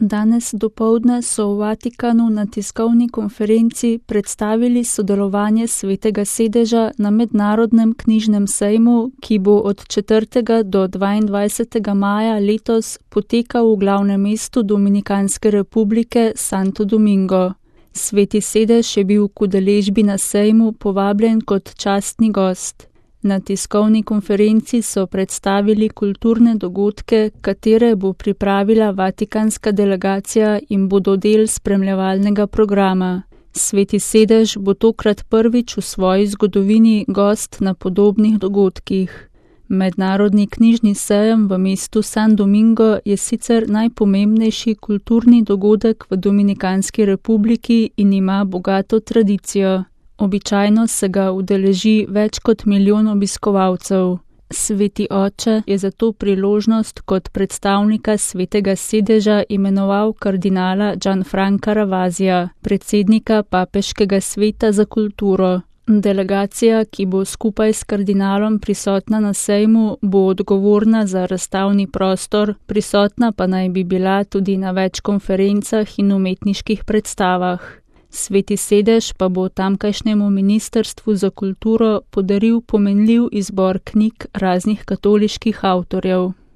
Danes dopoldne so v Vatikanu na tiskovni konferenci predstavili sodelovanje Svetega sedeža na mednarodnem knjižnem sejmu, ki bo od 4. do 22. maja letos potekal v glavnem mestu Dominikanske republike Santo Domingo. Sveti sedež je bil k udeležbi na sejmu povabljen kot častni gost. Na tiskovni konferenci so predstavili kulturne dogodke, katere bo pripravila vatikanska delegacija in bodo del spremljevalnega programa. Sveti sedež bo tokrat prvič v svoji zgodovini gost na podobnih dogodkih. Mednarodni knjižni sejem v mestu San Domingo je sicer najpomembnejši kulturni dogodek v Dominikanski republiki in ima bogato tradicijo. Običajno se ga udeleži več kot 1 milijon obiskovalcev. Sveti oče je za to priložnost kot predstavnika Svetega sedeža imenoval kardinala Gianfranca Ravasija, predsednika Papeškega sveta za kulturo. Delegacija, ki bo skupaj s kardinalom prisotna na sejmu, bo odgovorna za razstavni prostor, prisotna pa naj bi bila tudi na več konferencah in umetniških predstavah. Sveti sedež pa bo tamkajšnjemu ministrstvu za kulturo podaril pomenljiv izbor knjig raznih katoliških avtorjev.